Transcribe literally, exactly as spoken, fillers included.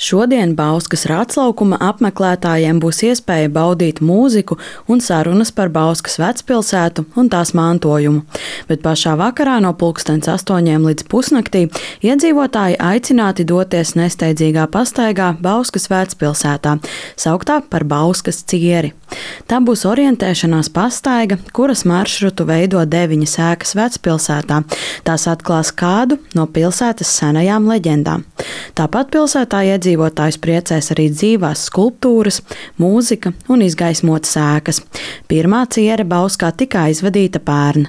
Šodien Bauskas Rātslaukuma apmeklētājiem būs iespēja baudīt mūziku un sarunas par Bauskas vecpilsētu un tās mantojumu. Bet pašā vakarā no pulkstens astoņiem līdz pusnaktī iedzīvotāji aicināti doties nesteidzīgā pastaigā Bauskas vecpilsētā, sauktā par Bauskas cieri. Tā būs orientēšanās pastaiga, kuras maršrutu veido deviņas ēkas vecpilsētā. Tās atklās kādu no pilsētas senajām leģendām. Tāpat pilsētā iedzīvotājus priecēs arī dzīvās skulptūras, mūzika un izgaismotas ēkas. Pirmā ciere Bauskā tika aizvadīta pērn.